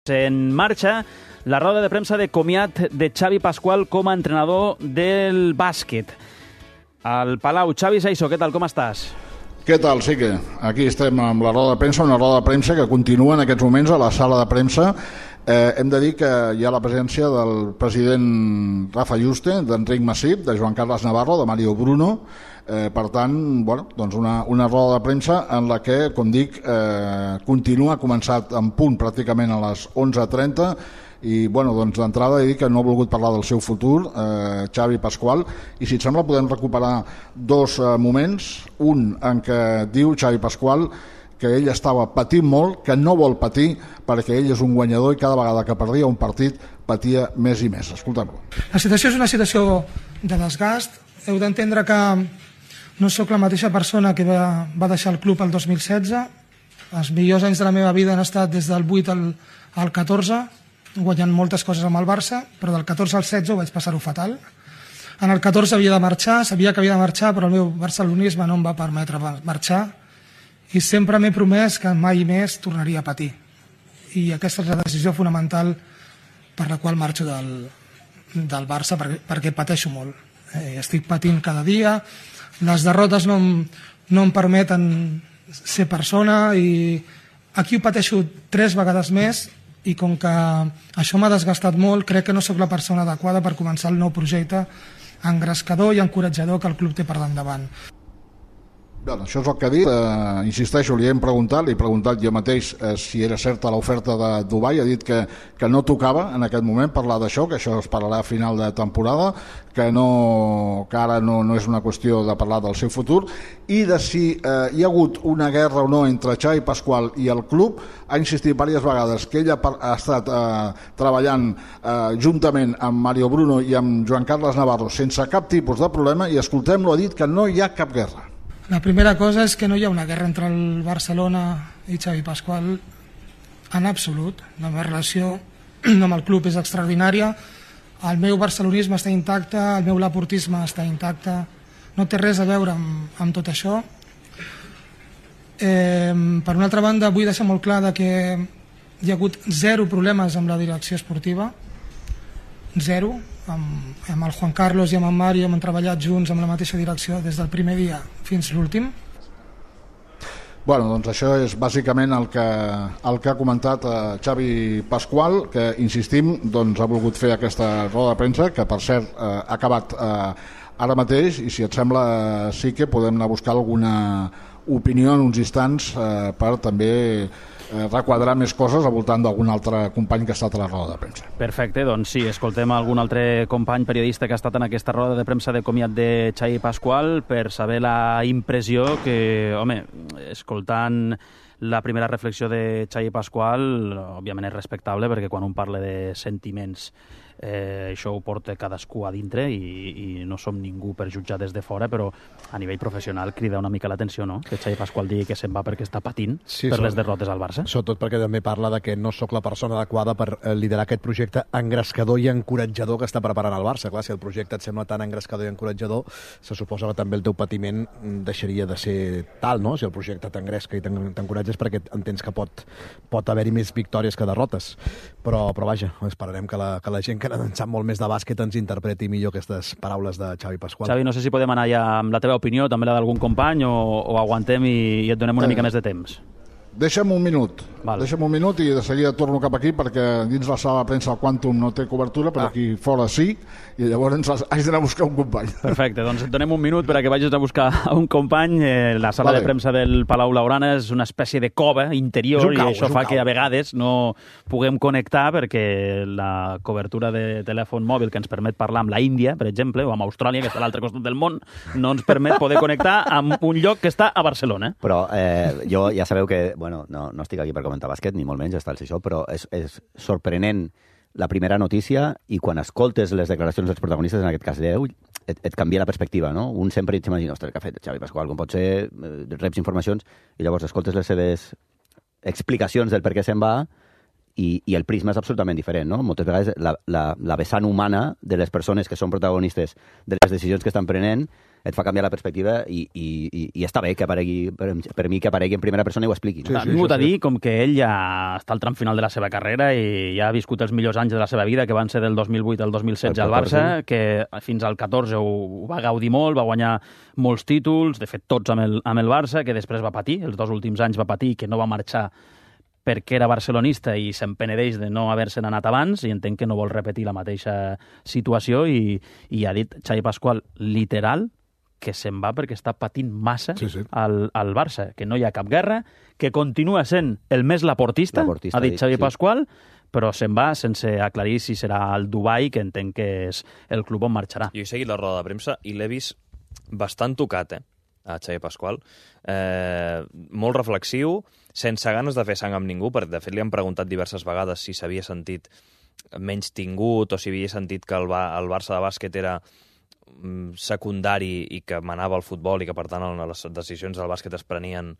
En marxa la roda de premsa de comiat de Xavi Pascual com a entrenador del bàsquet. Al Palau, Xavi Saiso, què tal, com estàs? Què tal, sí que aquí estem amb la roda de premsa, una roda de premsa que continua en aquests moments a la sala de premsa. Hem de dir que hi ha la presència del president Rafa Yuste, d'Enric Massip, de Joan Carles Navarro, de Mario Bruno. Per tant, doncs una roda de premsa en la que, com dic, continua, ha començat en punt pràcticament a les 11:30 i doncs d'entrada he dit que no ha volgut parlar del seu futur, Xavi Pascual, i si et sembla podem recuperar dos moments. Un en què diu Xavi Pascual que ell estava patint molt, que no vol patir perquè ell és un guanyador i cada vegada que perdia un partit patia més i més. Escoltem-lo. La situació és una situació de desgast. Heu d'entendre que no sóc la mateixa persona que va deixar el club el 2016. Els millors anys de la meva vida han estat des del 8 al 14, guanyant moltes coses amb el Barça, però del 14 al 16 ho vaig passar-ho fatal. En el 14 havia de marxar, sabia que havia de marxar, però el meu barcelonisme no em va permetre marxar i sempre m'he promès que mai més tornaria a patir. I aquesta és la decisió fonamental per la qual marxo del Barça, perquè pateixo molt. Estic patint cada dia, les derrotes no em permeten ser persona i aquí ho pateixo 3 vegades més i com que això m'ha desgastat molt, crec que no sóc la persona adequada per començar el nou projecte engrescador i encoratjador que el club té per endavant. Això és el que ha dit. Insisteixo, li he preguntat jo mateix si era certa l'oferta de Dubai. Ha dit que no tocava en aquest moment parlar d'això, que això es parlarà a final de temporada, que ara no és una qüestió de parlar del seu futur, i de si hi ha hagut una guerra o no entre Xavi Pascual i el club. Ha insistit diverses vegades que ell ha estat treballant juntament amb Mario Bruno i amb Joan Carles Navarro sense cap tipus de problema, i escoltem-lo, ha dit que no hi ha cap guerra. La primera cosa és que no hi ha una guerra entre el Barcelona i Xavi Pascual en absolut. La meva relació amb el club és extraordinària, el meu barcelonisme està intacte, el meu laportisme està intacte, no té res a veure amb tot això. Per una altra banda, vull deixar molt clar que hi ha hagut 0 problemes amb la direcció esportiva, 0. Amb el Juan Carlos i amb en Mario hem treballat junts amb la mateixa direcció des del primer dia fins l'últim. Doncs això és bàsicament el que ha comentat Xavi Pascual, que, insistim, ha volgut fer aquesta roda de premsa, que per cert ha acabat ara mateix, i si et sembla sí que podem anar a buscar alguna opinió en uns instants per també requadrar més coses al voltant d'algun altre company que ha estat a la roda de premsa. Perfecte, doncs sí, escoltem algun altre company periodista que ha estat en aquesta roda de premsa de comiat de Xavi Pascual per saber la impressió que, home, escoltant la primera reflexió de Xavi Pascual, òbviament és respectable perquè quan un parla de sentiments això ho porta cadascú a dintre i no som ningú per jutjar des de fora, però a nivell professional crida una mica l'atenció, no?, que Xavi Pascual digui que se'n va perquè està patint per les derrotes al Barça. Sobretot perquè també parla de que no sóc la persona adequada per liderar aquest projecte engrescador i encoratjador que està preparant el Barça. Clar, si el projecte et sembla tan engrescador i encoratjador, se suposa que també el teu patiment deixaria de ser tal, no? Si el projecte t'engresca i t'encoratges perquè entens que pot haver-hi més victòries que derrotes. Però vaja, esperarem que la gent que en sap molt més de bàsquet ens interpreti millor aquestes paraules de Xavi Pascual. Xavi, no sé si podem anar ja amb la teva opinió, també la d'algun company, o aguantem i et donem una mica més de temps. Deixa'm un minut. Vale. Deixa'm un minut i de seguida torno cap aquí perquè dins la sala de premsa el Quantum no té cobertura, però aquí fora sí, i llavors haig d'anar a buscar un company. Perfecte, doncs et donem un minut perquè vagis a buscar un company. La sala de premsa del Palau Blaugrana és una espècie de cova interior i això fa que a vegades no puguem connectar perquè la cobertura de telèfon mòbil que ens permet parlar amb la Índia, per exemple, o amb Austràlia, que està a l'altre costat del món, no ens permet poder connectar amb un lloc que està a Barcelona. Però jo ja sabeu que no estic aquí per comentar bàsquet, ni molt menys, està el això, però és sorprenent la primera notícia i quan escoltes les declaracions dels protagonistes, en aquest cas d'ell, et canvia la perspectiva, no? Un sempre s'imagina, ostres, què ha fet Xavi Pascual, com pot ser, reps informacions i llavors escoltes les seves explicacions del per què se'n va i el prisma és absolutament diferent, no? Moltes vegades la vessant humana de les persones que són protagonistes de les decisions que estan prenent et fa canviar la perspectiva i està bé que aparegui, per mi, que aparegui en primera persona i ho expliqui. Ha vingut a dir com que ell ja està al tram final de la seva carrera i ja ha viscut els millors anys de la seva vida, que van ser del 2008 al 2016 al Barça, que fins al 14 ho va gaudir molt, va guanyar molts títols, de fet tots amb el Barça, que després va patir, els 2 últims anys va patir, que no va marxar perquè era barcelonista i se'n penedeix de no haver-se'n anat abans, i entenc que no vol repetir la mateixa situació, i ha dit Xavi Pasqual, literal, que se'n va perquè està patint massa al Barça, que no hi ha cap guerra, que continua sent el més laportista, ha dit Xavi Pasqual, però se'n va sense aclarir si serà el Dubai, que entenc que és el club on marxarà. Jo he seguit la roda de premsa i l'he vist bastant tocat, a Xavi Pasqual. Molt reflexiu, sense ganes de fer sang amb ningú, perquè de fet li han preguntat diverses vegades si s'havia sentit menys tingut o si havia sentit que el Barça de bàsquet era secundari i que manava el futbol i que, per tant, les decisions del bàsquet es prenien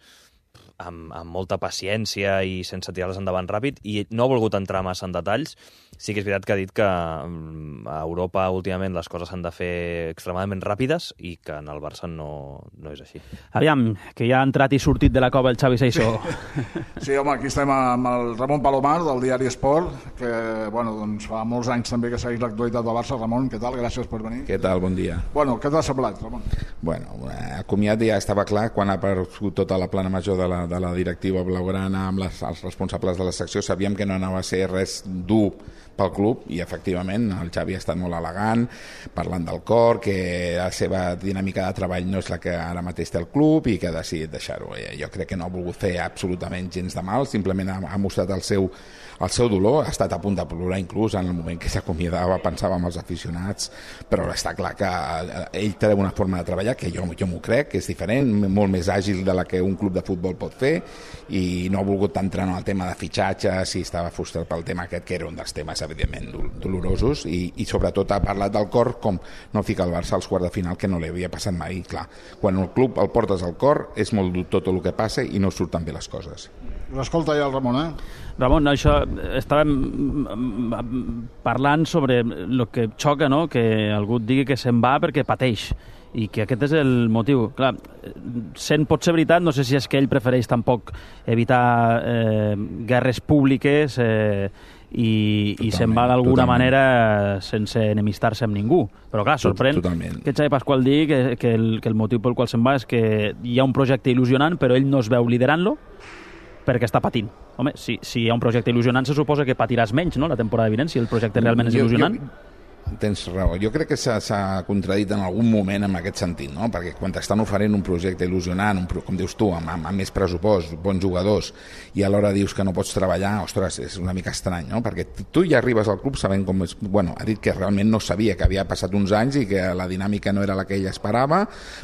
amb molta paciència i sense tirar-les endavant ràpid, i no ha volgut entrar massa en detalls. Sí que és veritat que ha dit que a Europa últimament les coses s'han de fer extremadament ràpides i que en el Barça no és així. Aviam, que ja ha entrat i sortit de la cova el Xavi Seixó. Sí, home, aquí estem amb el Ramon Palomar, del diari Esport, que doncs fa molts anys també que segueix l'actualitat del Barça. Ramon, què tal? Gràcies per venir. Què tal? Bon dia. Què t'ha semblat, Ramon? El comiat ja estava clar quan ha aparegut tota la plana major de la directiva blaugrana amb els responsables de la secció. Sabíem que no anava a ser res dur pel club, i efectivament el Xavi ha estat molt elegant parlant del cor, que la seva dinàmica de treball no és la que ara mateix té el club i que ha decidit deixar-ho. Jo crec que no ha volgut fer absolutament gens de mal, simplement ha mostrat el seu dolor, ha estat a punt de plorar inclús en el moment que s'acomiadava, pensava en els aficionats, però està clar que ell té una forma de treballar que jo m'ho crec, que és diferent, molt més àgil de la que un club de futbol pot fer, i no ha volgut entrar en el tema de fitxatges i estava frustrat pel tema aquest, que era un dels temes evidentment dolorosos, i sobretot ha parlat del cor, com no fica el Barça als quarts de final, que no li havia passat mai. Clar, quan el club el portes al cor és molt dur tot el que passa i no surten bé les coses. L'escolta ja el Ramon, Ramon, això estàvem parlant sobre el que xoca, no? Que algú et digui que se'n va perquè pateix, i que aquest és el motiu. Clar, pot ser veritat, no sé si és que ell prefereix tampoc evitar guerres públiques i se'n va d'alguna manera sense enemistar-se amb ningú. Però clar, sorprèn que Xavi Pasqual digui que el motiu pel qual se'n va és que hi ha un projecte il·lusionant, però ell no es veu liderant-lo perquè està patint. Home, si hi ha un projecte il·lusionant, se suposa que patiràs menys, no?, la temporada vinent, si el projecte realment és il·lusionant. Tens raó. Jo crec que s'ha contradit en algun moment en aquest sentit, no? Perquè quan t'estan oferint un projecte il·lusionant, com dius tu, amb més pressupost, bons jugadors, i alhora dius que no pots treballar, ostres, és una mica estrany, no? Perquè tu ja arribes al club sabent com és... ha dit que realment no sabia, que havia passat uns anys i que la dinàmica no era la que ell esperava,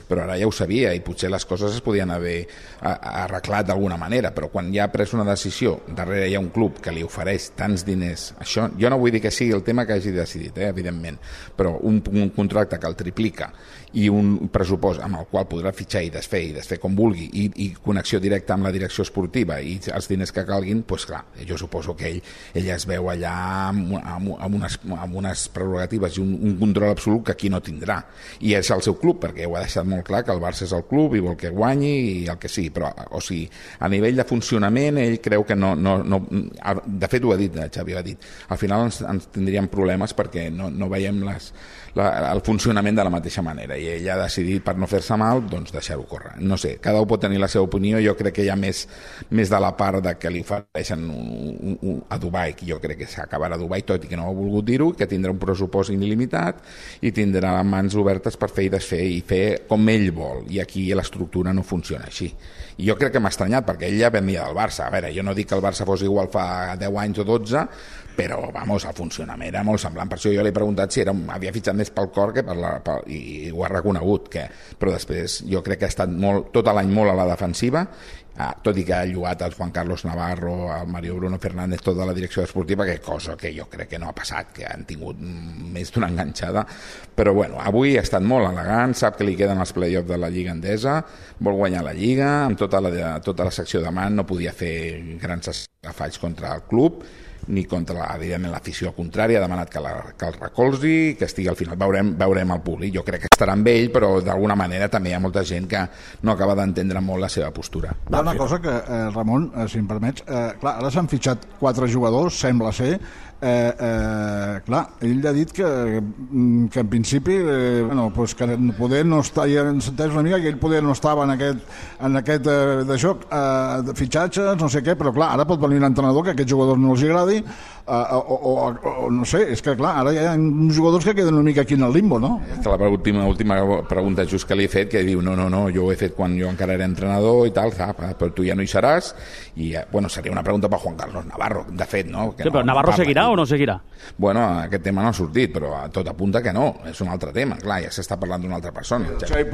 però ara ja ho sabia i potser les coses es podien haver arreglat d'alguna manera, però quan ja ha pres una decisió, darrere hi ha un club que li ofereix tants diners, això, jo no vull dir que sigui el tema que hagi decidit, evidentment, però un contracte que el triplica i un pressupost amb el qual podrà fitxar i desfer com vulgui, i connexió directa amb la direcció esportiva i els diners que calguin, doncs clar, jo suposo que ell es veu allà amb unes prerrogatives i un control absolut que aquí no tindrà, i és el seu club, perquè ho ha deixat molt clar que el Barça és el club i vol que guanyi i el que sigui, però o sigui, a nivell de funcionament ell creu que no de fet ho ha dit, Xavi ho ha dit, al final ens tindríem problemes perquè no veiem el funcionament de la mateixa manera, i ell ha decidit, per no fer-se mal, doncs deixar-ho córrer. No sé, cada un pot tenir la seva opinió. Jo crec que hi ha més de la part de que li ofereixen a Dubai, que jo crec que s'acabarà a Dubai, tot i que no ha volgut dir-ho, que tindrà un pressupost il·limitat i tindrà les mans obertes per fer i desfer i fer com ell vol, i aquí l'estructura no funciona així. I jo crec que m'ha estranyat, perquè ell ja venia del Barça. A veure, jo no dic que el Barça fos igual fa 10 anys o 12, però, vamos, el funcionament era molt semblant. Per això jo l'he preguntat si havia fitxat més pel cor i ho ha reconegut. Però després jo crec que ha estat tot l'any molt a la defensiva, tot i que ha lloat el Juan Carlos Navarro, el Mario Bruno Fernández, tota la direcció esportiva, cosa que jo crec que no ha passat, que han tingut més d'una enganxada. Però bueno, avui ha estat molt elegant, sap que li queden els play-offs de la Lliga Endesa, vol guanyar la Lliga, amb tota la secció de man no podia fer grans afalls contra el club, ni contra, evidentment, l'afició contrària, ha demanat que el recolzi, que estigui al final, veurem el públic. Jo crec que estarà amb ell, però d'alguna manera també hi ha molta gent que no acaba d'entendre molt la seva postura. Hi ha una cosa que, Ramon, si em permets, clar, ara s'han fitxat 4 jugadors, sembla ser. Clar, ell ha dit que en principi que poder no està, ja s'entès una mica que ell poder no estava en aquest de joc de fitxatges, no sé què, però clar, ara pot venir un entrenador que a aquests jugadors no els agradi o no sé, és que clar, ara hi ha jugadors que queden una mica aquí en el limbo, no? La última pregunta just que li he fet, que diu, no, jo ho he fet quan jo encara era entrenador i tal, però tu ja no hi seràs, i bueno, seria una pregunta per Juan Carlos Navarro, de fet, no? Sí, però Navarro seguirà o no seguirà? Bueno, aquest tema no ha sortit, però tot apunta que no, és un altre tema, clar, ja s'està parlant d'una altra persona. Xavi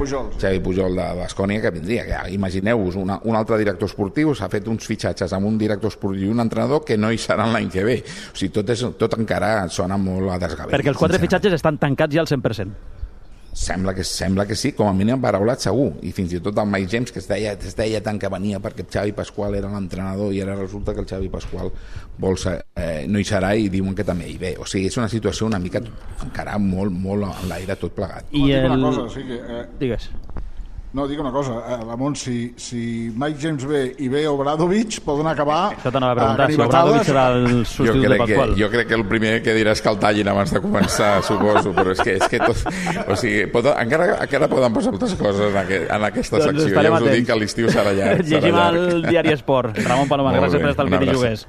Pujol de Baskonia, que vindria, que imagineu-vos, un altre director esportiu s'ha fet uns fitxatges amb un director esportiu i un entrenador que no hi seran l'any que ve. O sigui, tot encara sona molt a desgavell. Perquè els 4 fitxatges estan tancats ja al 100%. Sembla que sí, com a mínim paraulat segur, i fins i tot el Mike James, que es deia tant que venia perquè Xavi Pasqual era l'entrenador i ara resulta que el Xavi Pasqual no hi serà i diuen que també hi ve. O sigui, és una situació una mica encara molt en l'aire tot plegat. Una cosa, sí que... Digues. No, dic una cosa, Ramon, si Mike James ve i ve Obradovic, poden acabar això t'anava a preguntar, si Obradovic serà el substitut de Pasqual. Jo crec que el primer que dirà és que el tallin abans de començar, suposo, però és que tot... O sigui, encara poden passar moltes coses en aquesta secció. Ja us ho dic, que l'estiu serà llarg. Llegim al diari Esport. Ramon Paloma, gràcies per estar al Videojuguers.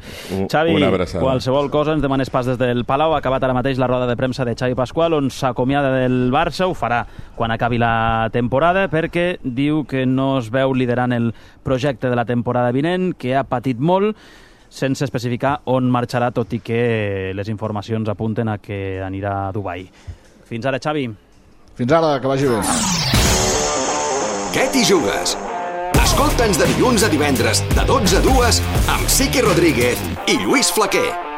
Xavi, qualsevol cosa, ens demanes pas des del Palau. Ha acabat ara mateix la roda de premsa de Xavi Pasqual, on s'acomiada del Barça, ho farà quan acabi la temporada, perquè diu que no es veu liderant el projecte de la temporada vinent, que ha patit molt, sense especificar on marxarà, tot i que les informacions apunten a que anirà a Dubai. Fins ara, Xavi. Fins ara, que vagi bé. Què t'hi jugues? Escolta'ns de dilluns a divendres, de 12 a 2, amb Siqui Rodríguez i Lluís Flaquer.